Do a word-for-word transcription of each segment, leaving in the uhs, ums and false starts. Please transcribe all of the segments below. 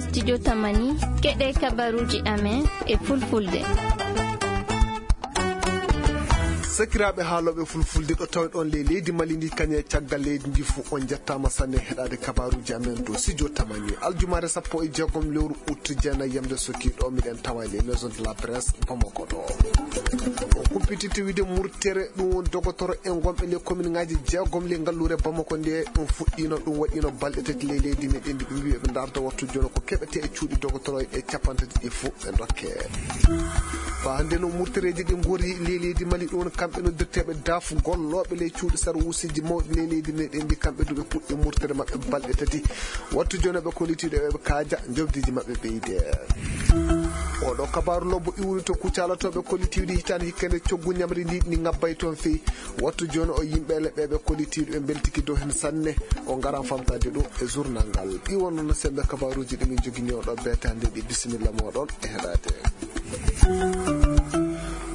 Studio Tamani, keɗe kabaruuji amen e fulfulde. Sakiraaɓe haalooɓe fulfulde ɗo tawɗon ley leydi Mali ndi, kañe caggal leydi ndi fof, on njettaama sanne heɗaade kabaruuji amen dow studio Tamani. Aljumaare sappo e jeegom lewru août, jeenayi yamde sokki ɗo, miɗen tawa e ley maison de la presse Bamako ɗo. On kumpititte wiide murtere ɗum woni dogotoro en gonɓe ley kominŋaaji jeegom ley ngalluure Bamako nde, ɗum fuɗɗiino, ɗum waɗiino balɗe tati ley leydi meɗen ndi, ɓe mbii ɓe ndaarta wattu jono ko keɓete e cuuɗi dogotoro e capanɗe tati ɗi fof ɓe ndokke. Faa hannde no murtereeji ɗi ngori ley leydi Mali ɗum, kamɓe noddirteeɓe daf gollooɓe ley cuuɗi sarwuusiji mawɗi ley leydi meɗen ndi, kamɓe du ɓe puɗɗi murtere maɓɓe balɗe tati. Wattu jono ɓe kollitiiɗo ɓe kaaja, njoɓdiiji maɓɓe ɓeyde. Oɗo kabaaru lobbo iwri to Kucala to ɓe kollitiiɗi hitaande hikkande coggu ñamri ndi, ndi ŋabbay toon fey. Wattu jooni o yimɓe leɓɓe ɓe kollitiiɗi ɓe mbeltiki dow heen sanne. O ngaran famtaade ɗum e journal ngal. Ɗi wonno no semmbe kabaaruuji ɗi min njogini oɗo beetaande ɗi. Bisimilla mooɗon e heɗaade.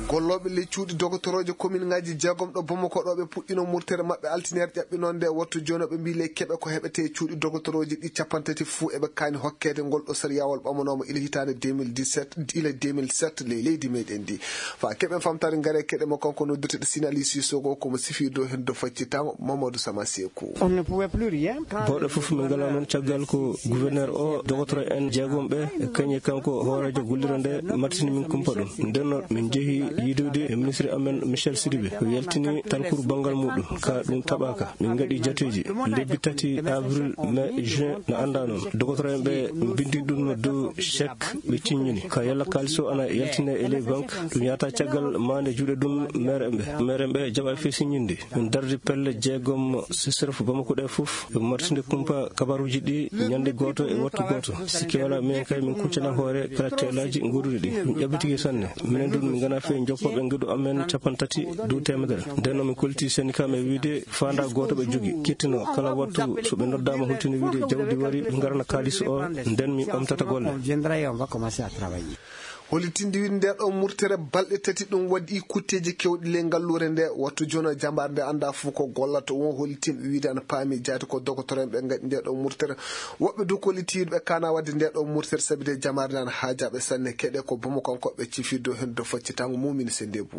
Gollooɓe ley cuuɗi dogotorooje kominŋaaji jeegom ɗo Bamako ɗo ɓe puɗɗino murtere maɓɓe altine ƴaɓɓinoonde. Wattu jooni ɓe mbii ley keɓe ko heɓetee cuuɗi dogotorooje ɗi capanɗe tati fuu eɓe kaani hokkeede ngol ɗo sariyaawol ɓamanooma ila hitaande deux mille dix-sept, ila deux mille sept ley leydi meɗen ndi. Faa keɓen famtaade ngare keɗe mo kanko noddirteɗo Sinali Sisoko ko mo sifii dow heen dow faccitango Mamadou Sama Seku. On ne pouvait plus rien. Bawɗe fof min ngalaa noon caggal ko gouverneur o dogotoro en jeegom ɓe e kañe kanko hooreejo gollirde nde martini min kumpa ɗum. Nden noon min njehi yiidoyde e ministre amen Michel Sidibé. O yaltini talkuru banngal muɗum. Ka ɗum taɓaaka. Min ngaɗi jateeji. Lebbi tati avril, mai, juin na anndaa noon. Dogotoro en ɓe mbindi ɗum dow chèque ɓe ciññini. Ka yalla kaalis o ana yaltine e ley banque. Ɗum yahata caggal maande juuɗe ɗum maire en ɓe. Maire en ɓe jaɓa fii siññinde. Min dardi pelle jeegom C C R F Bamako ɗe fof. Ɓe martinde kumpa kabaruuji ɗi ñande gooto e wattu gooto. Sikke walaa, minen kay min kuccana hoore kala teelaaji nguuruɗi ɗi. Min ƴabbitike sanne. Minen ɗum min ngana fii joppooɓe ngeɗu amen capanɗe tati dow teemedere. Nden noon min kolliti syndicat men wiide faandaa gooto ɓe jogi. Kettino kala wattu so ɓe noddaama hultini wiide jawdi wari, ɓe ngarana kaalis o, nden min ɓamtata golle. Hollitinde wiide nde ɗo murtere balɗe tati ɗum waɗi kutteeji kewɗi ley ngalluure nde. Wattu jono jambaar nde anndaa fof ko gollata. Won hollitinɓe wiide ana paami jaati ko dogotoro en ɓe ngaɗi nde ɗo murtere. Woɓɓe du kollitiiɓe kaana waɗde nde ɗo murtere sabi de jambaar nde ana haajaaɓe sanne. Keɗe ko Bamako kanko ɓe cifi dow heen dow faccitango mumini se ndebu.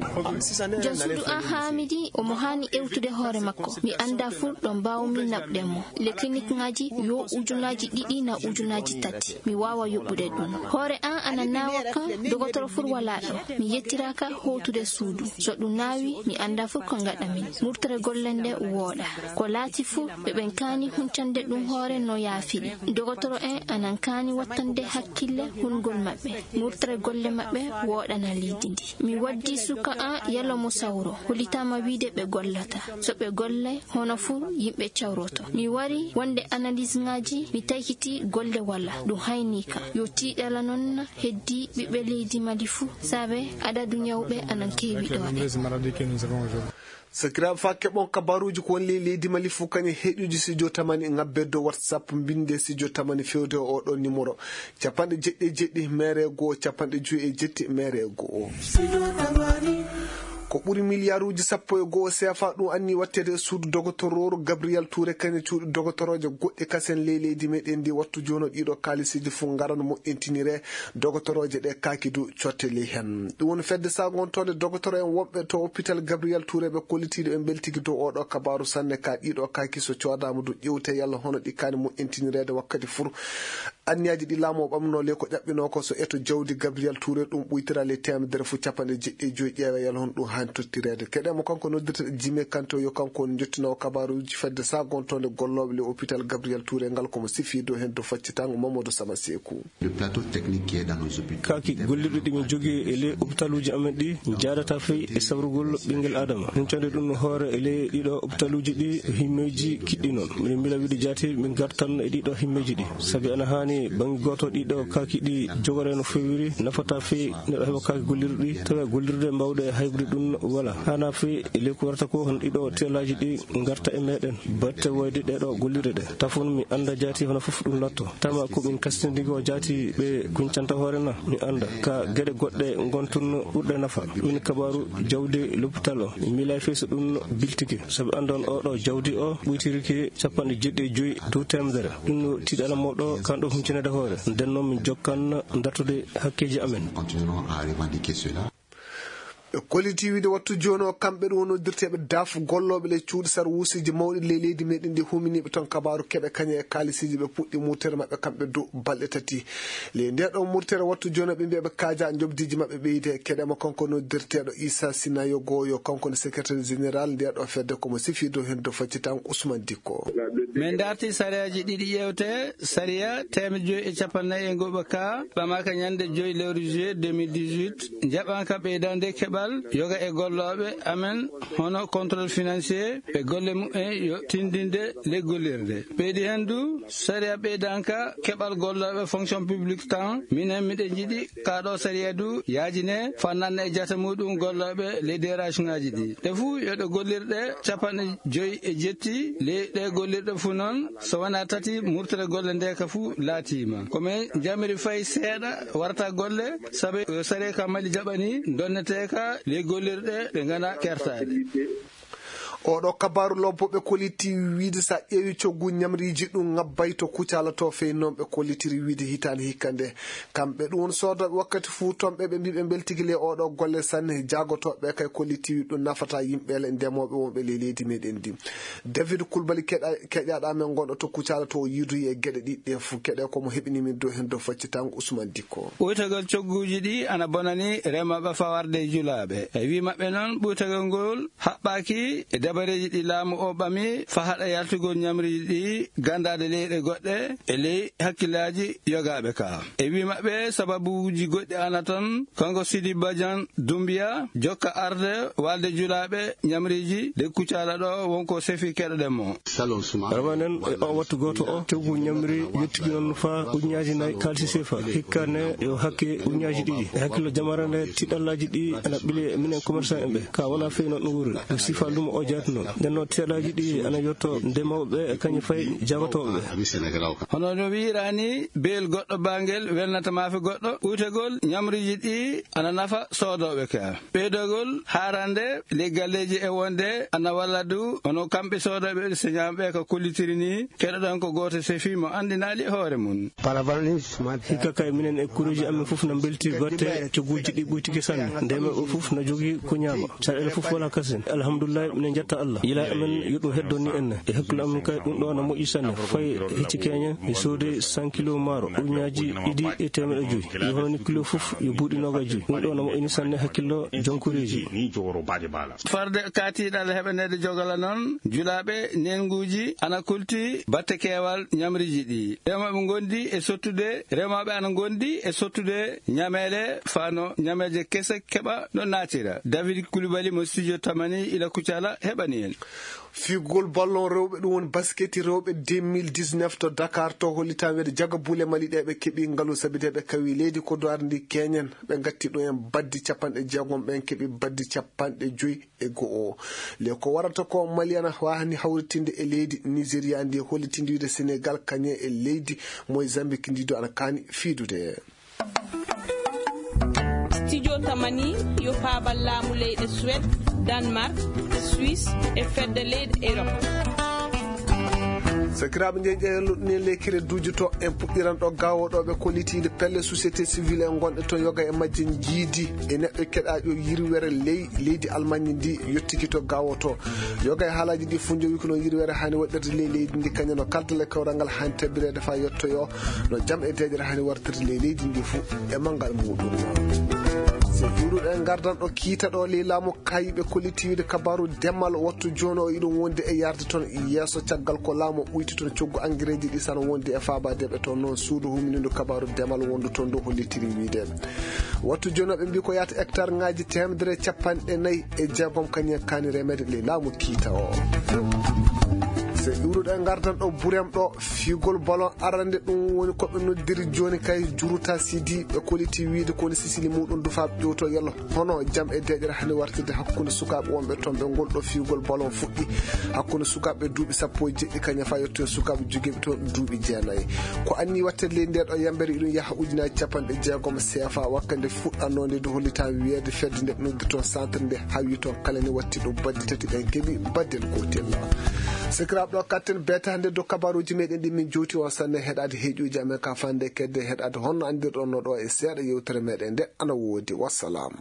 Jansudu an Hamidi omo haani ewtude hoore makko. Mi anndaa fof ɗo mbaawmi naɓde mo. Le clinique ngaji yo ujunaaji ɗiɗi na ujunaaji tati. Mi waawa yoɓude ɗum. Hoore an ana naawa kan, dogotoro fur walaa ɗo. Mi yettiraaka hootude suudu. So ɗum naawi, mi anndaa fur ko ngaɗa min. Murtere golle nde wooɗa. Ko laati fuu, ɓe ɓen kaani huncande ɗum hoore no yaafi ɗi. Dogotoro en anan kaani wattande hakkille hunngol maɓɓe. Murtere golle maɓɓe wooɗana leydi ndi. Mi waddi suka an yalo mo sawro. Hollitaama wiide ɓe gollata. So ɓe golle, hono fuu yimɓe cawroto. Mi wari wonde analyse ngaji, mi taykiti golle wala. Ɗum hayni ka. Yo tiiɗala noon heddi ɓiɓɓe leydi Mali fuu. Saabe adadu ñawɓe anan keewi ɗo. Sakiraaɓe, faa keɓon kabaruuji ko woni ley leydi Mali fof, kañum heɗuuji Studio Tamani, ŋabbee dow WhatsApp, mbinndee Studio Tamani feewde e oo ɗoo numéro, capanɗe jeɗɗi e jeɗɗi, meere goo, capanɗe joyi e jetti, meere goo. Ko ɓuri miliyaaruuji sappo e goo C F A ɗum anni watteede e suudu dogotorooru Gabriel Touré, kañum cuuɗi dogotorooje goɗɗi kasen ley leydi meɗen ndi. Wattu jooni o ɗiiɗoo kaalisiiji fof ngaran moƴƴintiniree. Dogotorooje ɗe kaaki du cotteli heen. Ɗum woni fedde sagontoonde dogotoro en wonɓe to hôpital Gabriel Touré ɓe kollitiiɗo ɓe mbeltiki dow oo ɗoo kabaaru sanne ka ɗiiɗoo kaaki so coodaama du ƴewte yalla hono ɗi kaani moƴƴintinireede wakkati fur. Anniyaaji ɗi laamu o ɓamnoo le ko ƴaɓɓinoo ko so eto jawdi Gabriel Touré ɗum ɓuytira le teemedere fof capanɗe jeɗɗi e joyi ƴeewa yalla hono ɗum haani tottireede. Keɗee mo kanko noddirteɗo Jimé Kanté yo kanko woni njottinoo kabaaruuji fedde sagontoonde gollooɓe le hôpital Gabriel Touré ngal ko mo sifii dow heen dow faccitango Mamadou Sama Seeku. Le plateau technique qui est dans nos hôpitaux. Kaaki gollirɗi ɗi min jogii e ley opitaluuji amen ɗi, njaadata fey e sawrugol ɓinngel Aadama. Huncande ɗum no hoore e ley ɗiɗo opitaluuji ɗi, himmeeji kiɗɗi noon. Miɗen mbela wiide jaati, min ngartan e ɗiɗo himmeeji ɗi. Sabi ana haani bannge gooto ɗiɗo kaaki ɗi jogoree no feewiri, nafata fey neɗɗo heɓa kaaki gollirɗi, tawa gollirde mbaawɗe haybude ɗum wala. Haana fey e ley ko warata ko, hono ɗiɗo teelaaji ɗi ngarta e meɗen. Batte woyde ɗeɗo gollirɗe ɗe. Tafon mi annda jaati hono fof ɗum latto. Tama ko min kastindigi o jaati ɓe kuncanta hoore na. Mi annda ka geɗe goɗɗe ngontunno ɓurɗe nafa. Ɗum ni kabaaru jawdi lopital o. Mi miilay fey so ɗum biltike. Sabi anndon o ɗo jawdi o ɓuytiriki capanɗe jeɗɗi e joyi dow teemedere. Ɗum no tiiɗala mawɗo kan ɗo hunci Tinede hoore, nden noon min jokkan dartude hakkeeji amen. Continuerons à revendiquer cela. Ɓe kolliti wiide wattu jooni o, kamɓe ɗum wonnodirteeɓe daf gollooɓe le cuuɗi sarwuusiji mawɗi ley leydi meɗen ndi, huminiiɓe toon kabaaru keɓe kañe e kaalisiiji ɓe puɗɗi murtere maɓɓe kamɓe dow balɗe tati. Ley nde ɗo murtere wattu jooni ɓe mbiya ɓe kaaja njoɓdiiji maɓɓe ɓeyde keɗe mo kanko noddirteeɗo Issa Sinayogo yo kanko ne secrétaire général nde ɗo fedde komo sifi dow heen dow faccitan Ousmane Dikko. Min darti sariyaaji ɗiɗi ƴeewte, sariya teemedde joyi e capanɗe nayi e ngoɓa ka ɓamaka ñande joyi lewru juillet deux mille dix-huit, njaɓanka ɓeydande keɓal yoga e gollooɓe amen, hono contrôle financier, ɓe golle mumen yo tindinde ley gollirde. Ɓeydi heen du, sariya ɓeydanka keɓal gollooɓe fonction publique tan, minen miɗen njiɗi ka ɗo sariya du yaajine fannanne e jata muɗum gollooɓe ley dérage ngaji ɗi. Ɗe fuu yo ɗe gollirɗe capanɗe joyi e jetti ley ɗe gollirɗe fuu noon, so wonaa tati murtere golle nde ka fuu laatiima. Ko men jamiri fay seeɗa warata golle, sabu yo sariya ka Mali jaɓani donnetee ka ley gollirɗe ɗe ngana kertaaɗe. Oɗo kabaaru lobbo ɓe kolliti wiide sa ƴeewi coggu ñamriiji ɗum ŋabbay to Kucala to fey noon ɓe kollitiri wiide hitaande hikka nde. Kamɓe ɗum won soodooɓe wakkati fuu toon ɓe ɓe mbii ɓe mbeltiki le oɗo golle sanne jaagotooɓe kay kolliti wiide ɗum nafata yimɓe le ndemooɓe wonɓe le leydi meɗen ndi. David Kulbali keɗa-, keƴaɗa men gonɗo to Kucala to o yiidoyi e geɗe ɗiɗi ɗe fuu keɗe komo heɓini min dow heen dow faccitango Ousmane Dikko. Ɓuytagol cogguuji ɗi ana bonani remooɓe fawarde e julaaɓe. E wii maɓɓe noon ɓuytagol ngol haɓɓaaki e dabareeji ɗi laamu o ɓami faa haɗa yaltugol ñamriiji ɗi ganndaade leyɗe goɗɗe e ley hakkillaaji yogaaɓe ka. E wii maɓɓe sababuuji goɗɗi ana toon, kanko Sidi Badian Dumbiya jokka arde walde julaaɓe ñamriiji de Kucala ɗo wonko sefi keɗoɗen mo. Ramanen e o wattu gooto o, coggu ñamri yettigi noon faa ujunnaaji nayi kaalisi sefa. Hikka ne yo hakke ujunnaaji ɗiɗi. E hakkillo jamara nde tiɗallaaji ɗi ana ɓili e minen commerçant en ɓe. Ka wona fey noon ɗum wuri. Ɗum sifa lumo o jaati noon. Nden noon tiɗallaaji ɗi ana yotto ndemooɓe ɓe e kañum fay jagotooɓe ɓe. Hono no wiiraani, beel goɗɗo baangel welnata maafe goɗɗo. Ɓuytagol ñamriiji ɗi ana nafa soodooɓe ka. Ɓeydogol haarande ley galleeji e wonde ana walla du, hono kamɓe soodooɓe ɗi señaaɓe ka kollitiri ni, keɗoɗon ko gooto sefi mo anndinaali hoore mum. Hikka kay minen e kureeji amen fof na mbelti gotte cogguuji ɗi ɓuytiki sanne. Nde men o fof na jogii ko ñaama. Caɗeele fof wala kasen. Alhamdulillahi, minen njetta Allah. Yila amen yo ɗum heddon ni enne. E hakkille amen kay ɗum ɗo na moƴƴi sanne. Fay hecci keñen, mi soodi cent kilo maaro, ujunnaaji ɗiɗi e teemeɗɗe joyi. Yo hono ni kilo fof yo buuɗi noogaas joyi. Ɗum ɗo na moƴƴini sanne hakkillo jonkureeji. Farde kaatiiɗal heɓaneede jogala noon, julaaɓe neenguuji ana kulti batte keewal ñamriiji ɗi. Remooɓe ngondi e sottude, remooɓe ana ngondi e sottude ñameele fano ñameeje kese keɓa no naatira. David Coulibaly mo studio Tamani ila Kucala heɓani en. Figol ballon rewɓe, ɗum woni basketi rewɓe deux mille dix-neuf to Dakar, to hollitaa wiyde jaga buule Mali ɗe ɓe keɓi ngalu sabi de ɓe kawi leydi ko duwaar ndi keñen. Ɓe ngatti ɗum en baddi capanɗe jeegom, ɓen keɓi baddi capanɗe joyi e go'o. Le ko warata ko Mali ana waawani hawritinde e leydi Nigeria ndi hollitinde wiyde Senegal kañe e leydi Mozambique ndi do ana kaani fiidude. Studio Tamani yo faabal laamu leyɗe Suède, Danemark, Suisse e fedde leyɗe Europe. Sakiraaɓe, njeeƴe e luɗɗini lekkere duuji to en puɗɗiran ɗo gawo ɗo ɓe kollitiide pelle société civile en gonɗe to yoga e majje njiidi e neɗɗo keɗaaɗo yirwere ley leydi Almañi ndi yottiki to gawo to. Yoga e haalaaji ɗi fof njowi ko noon yirwere hani waɗirde ley leydi ndi kañum no kaldal e kawral ngal hani tabirede faa yettoyo no jam e deeƴere hani wartirde ley leydi ndi fof e manngal muɗum. So juuruɗo en ngardan ɗo kiita ɗo ley laamu kayiɓe kollitiiwde kabaru demal wattu jooni o iɗum wonde e yarde toon yeeso caggal ko laamu ɓuyti toon coggu angireeji ɗi sana wonde e faabadeɓe toon noon suudu huminindu kabaru demal wondu toon ndu hollitiri wiide wattu jooni o ɓe mbi ko yaata hectare ngaji temedere capanɗe nayi e jeegom kañum kaani remede ley laamu kiita o. So iwruɗo e ngardan ɗo burem ɗo figol ballon arande ɗum woni ko ɓe noddiri jooni kay juruta sidi ɓe koliti wiide ko woni sisili muɗum dufa ƴewto yalla hono jam e deƴere hani wartirde hakkunde sukaaɓe wonɓe toon ɓe ngol ɗo figol ballon fuɗɗi hakkunde sukaaɓe duuɓi sappo e jeɗɗi kañum fa yetto e sukaaɓe jogiiɓe toon duuɓi jeenayi. Ko anni wattede ley nde ɗo yambere iɗum yaha ujunaaji capanɗe jeegom seefa wakkande fuɗɗannoonde nde hollita wiyeede fedde nde ɓe noddi toon centre nde hawi toon kala ne watti ɗum baddi tati ɓen keɓi baddel gootel. Sikiraaɓe, ɗo katten beete hannde dow kabaruuji meɗen ɗi min jowti on sanne heɗaade heeƴuuji amen ka fande kedde heɗaade honno anndirɗon no ɗo e seeɗa yewtere meɗen nde ana woodi. Wassalam.